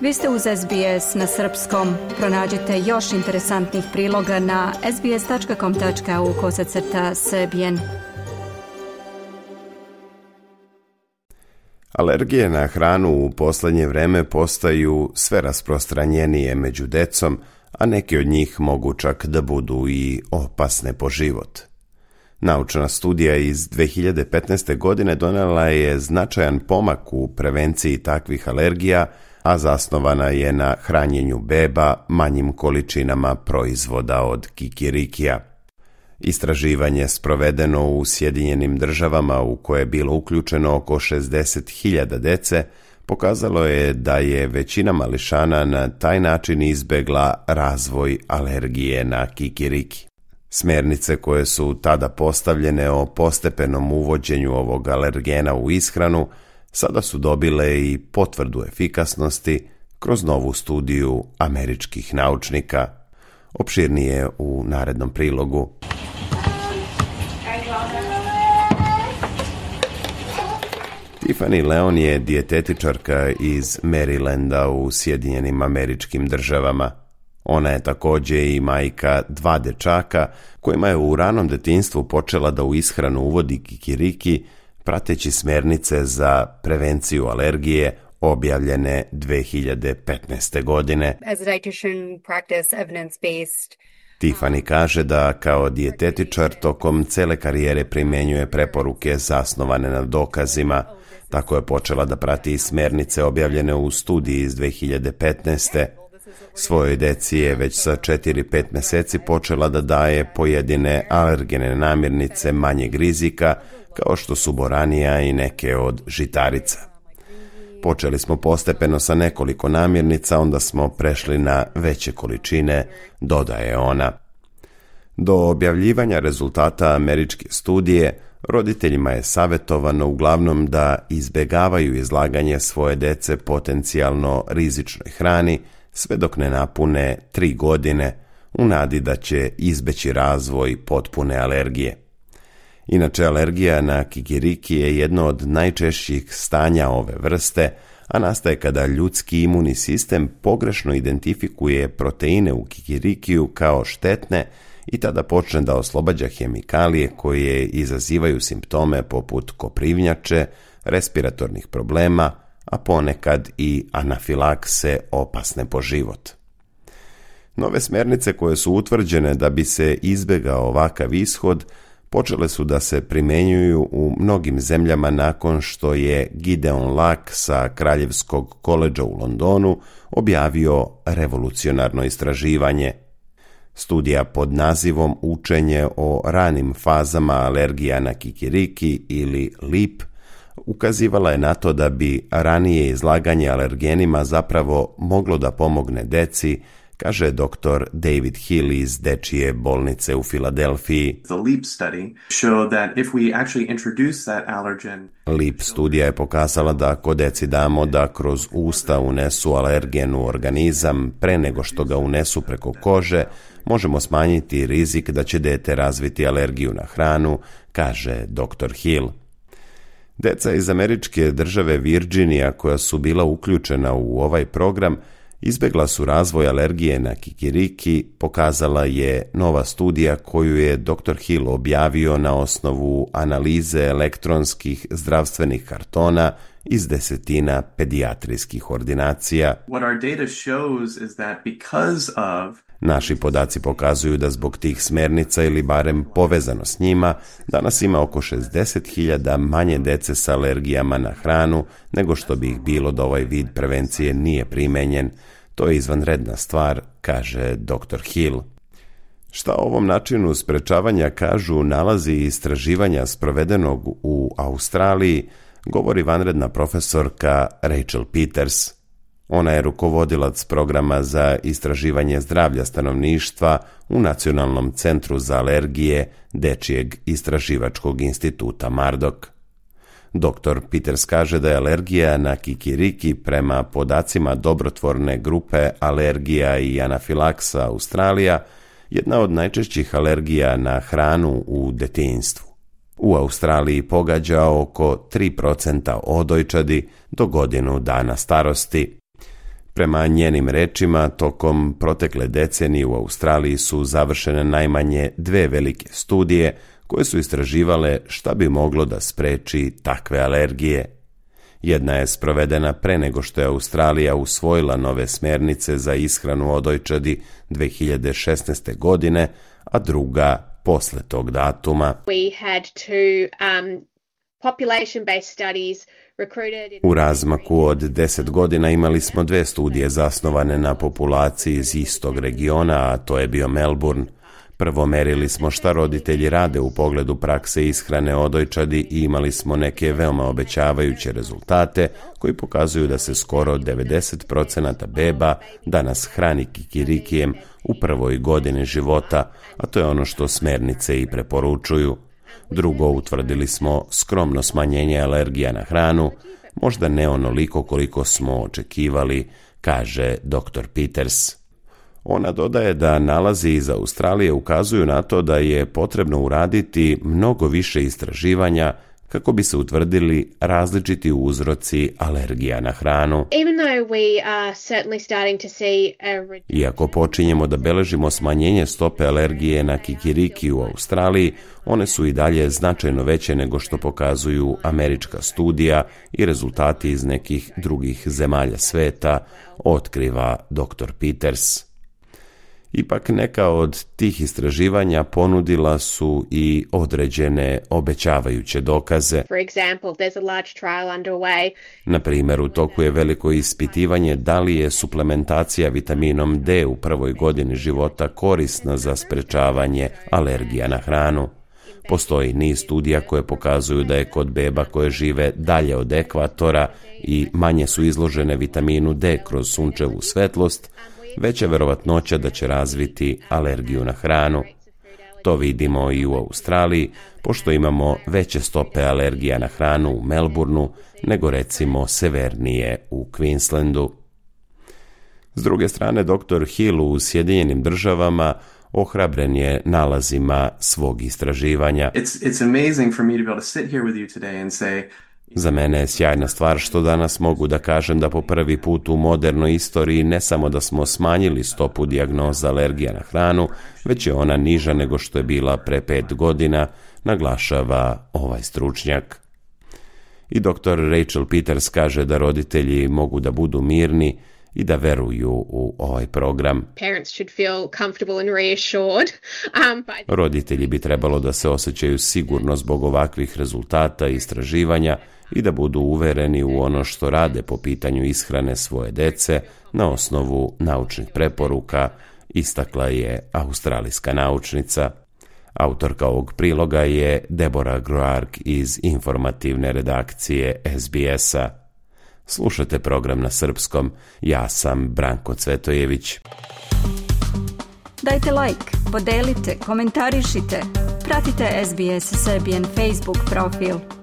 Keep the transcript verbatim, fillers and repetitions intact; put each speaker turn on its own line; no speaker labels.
Vi ste uz S B S na srpskom. Pronađite još interesantnih priloga na sbs.com.au kosacrta srbijen.
Alergije na hranu u posljednje vreme postaju sve rasprostranjenije među decom, a neke od njih mogu čak da budu i opasne po život. Naučna studija iz dve hiljade petnaeste. godine donela je značajan pomak u prevenciji takvih alergija, a zasnovana je na hranjenju beba manjim količinama proizvoda od kikirikija. Istraživanje sprovedeno u Sjedinjenim državama u koje je bilo uključeno oko šezdeset hiljada dece pokazalo je da je većina mališana na taj način izbegla razvoj alergije na kikiriki. Smjernice koje su tada postavljene o postepenom uvođenju ovog alergena u ishranu sada su dobile i potvrdu efikasnosti kroz novu studiju američkih naučnika. Opširnije u narednom prilogu. Tiffany Leon je dijetetičarka iz Marylanda u Sjedinjenim Američkim Državama. Ona je također i majka dva dečaka kojima je u ranom detinjstvu počela da u ishranu uvodi kikiriki, prateći smjernice za prevenciju alergije objavljene dve hiljade petnaeste. godine.
As a dietitian, practice evidence-based.
Tiffany kaže da kao dijetetičar tokom cele karijere primjenjuje preporuke zasnovane na dokazima. Tako je počela da prati i smjernice objavljene u studiji iz dve hiljade petnaeste. Svojoj deci je već sa četiri do pet mjeseci počela da daje pojedine alergene namirnice manjeg rizika, kao što su boranija i neke od žitarica. Počeli smo postepeno sa nekoliko namirnica, onda smo prešli na veće količine, dodaje ona. Do objavljivanja rezultata američke studije, roditeljima je savjetovano uglavnom da izbjegavaju izlaganje svoje dece potencijalno rizičnoj hrani, sve dok ne napune tri godine, u nadi da će izbeći razvoj potpune alergije. Inače, alergija na kikiriki je jedno od najčešćih stanja ove vrste, a nastaje kada ljudski imunni sistem pogrešno identifikuje proteine u kikirikiju kao štetne i tada počne da oslobađa hemikalije koje izazivaju simptome poput koprivnjače, respiratornih problema, a ponekad i anafilakse opasne po život. Nove smjernice koje su utvrđene da bi se izbjegao ovakav ishod počele su da se primjenjuju u mnogim zemljama nakon što je Gideon Lack sa Kraljevskog koledža u Londonu objavio revolucionarno istraživanje. Studija pod nazivom Učenje o ranim fazama alergija na kikiriki ili LEAP ukazivala je na to da bi ranije izlaganje alergenima zapravo moglo da pomogne deci, kaže doktor David Hill iz Dečije bolnice u Filadelfiji.
The LEAP study showed that if we actually introduce that allergen.
LEAP studija je pokazala da ako deci damo da kroz usta unesu alergen u organizam pre nego što ga unesu preko kože, možemo smanjiti rizik da će dete razviti alergiju na hranu, kaže doktor Hill. Deca iz američke države Virginija koja su bila uključena u ovaj program izbjegla su razvoj alergije na kikiriki, pokazala je nova studija koju je doktor Hill objavio na osnovu analize elektronskih zdravstvenih kartona iz desetina pedijatrijskih ordinacija.
What our data shows is that because of
Naši podaci pokazuju da zbog tih smjernica ili barem povezano s njima, danas ima oko šezdeset hiljada manje dece sa alergijama na hranu nego što bi ih bilo da ovaj vid prevencije nije primenjen. To je izvanredna stvar, kaže doktor Hill. Šta o ovom načinu sprečavanja kažu nalazi istraživanja sprovedenog u Australiji, govori vanredna profesorka Rachel Peters. Ona je rukovodilac programa za istraživanje zdravlja stanovništva u Nacionalnom centru za alergije Dečijeg istraživačkog instituta Murdoch. doktor Peters kaže da je alergija na kikiriki prema podacima dobrotvorne grupe alergija i anafilaksa Australija jedna od najčešćih alergija na hranu u detinjstvu. U Australiji pogađa oko tri procenta odojčadi do godinu dana starosti. Prema njenim rečima, tokom protekle decenije u Australiji su završene najmanje dve velike studije koje su istraživale šta bi moglo da spreči takve alergije. Jedna je sprovedena pre nego što je Australija usvojila nove smjernice za ishranu odojčadi dve hiljade šesnaeste. godine, a druga posle tog datuma.
We had two um, population-based studies recruited in...
U razmaku od deset godina imali smo dve studije zasnovane na populaciji iz istog regiona, a to je bio Melbourne. Prvo merili smo šta roditelji rade u pogledu prakse ishrane odojčadi i imali smo neke veoma obećavajuće rezultate koji pokazuju da se skoro devedeset procenata beba danas hrani kikirikijem u prvoj godini života, a to je ono što smernice i preporučuju. Drugo, utvrdili smo skromno smanjenje alergija na hranu, možda ne onoliko koliko smo očekivali, kaže doktor Peters. Ona dodaje da nalazi iz Australije ukazuju na to da je potrebno uraditi mnogo više istraživanja kako bi se utvrdili različiti uzroci alergija na hranu. Iako počinjemo da beležimo smanjenje stope alergije na kikiriki u Australiji, one su i dalje značajno veće nego što pokazuju američka studija i rezultati iz nekih drugih zemalja sveta, otkriva doktor Peters. Ipak neka od tih istraživanja ponudila su i određene obećavajuće dokaze. Na primjer, u toku je veliko ispitivanje da li je suplementacija vitaminom D u prvoj godini života korisna za sprečavanje alergija na hranu. Postoji niz studija koje pokazuju da je kod beba koje žive dalje od ekvatora i manje su izložene vitaminu D kroz sunčevu svetlost, veća verovatnoća da će razviti alergiju na hranu. To vidimo i u Australiji, pošto imamo veće stope alergija na hranu u Melbourneu nego recimo severnije u Queenslandu. S druge strane, doktor Hill u Sjedinjenim Državama ohrabren je nalazima svog istraživanja.
It's, it's amazing for me to be able to sit here with you today and say,
za mene je sjajna stvar što danas mogu da kažem da po prvi put u modernoj istoriji ne samo da smo smanjili stopu dijagnoza alergija na hranu, već je ona niža nego što je bila pre pet godina, naglašava ovaj stručnjak. I doktor Rachel Peters kaže da roditelji mogu da budu mirni i da veruju u ovaj program. Roditelji bi trebalo da se osjećaju sigurno zbog ovakvih rezultata i istraživanja i da budu uvereni u ono što rade po pitanju ishrane svoje dece na osnovu naučnih preporuka, istakla je australijska naučnica. Autorka ovog priloga je Deborah Groark iz informativne redakcije S B S-a. Slušate program na srpskom, ja sam Branko Cvetojević.
Dajte like, podelite, komentarišite, pratite S B S Serbian Facebook profil.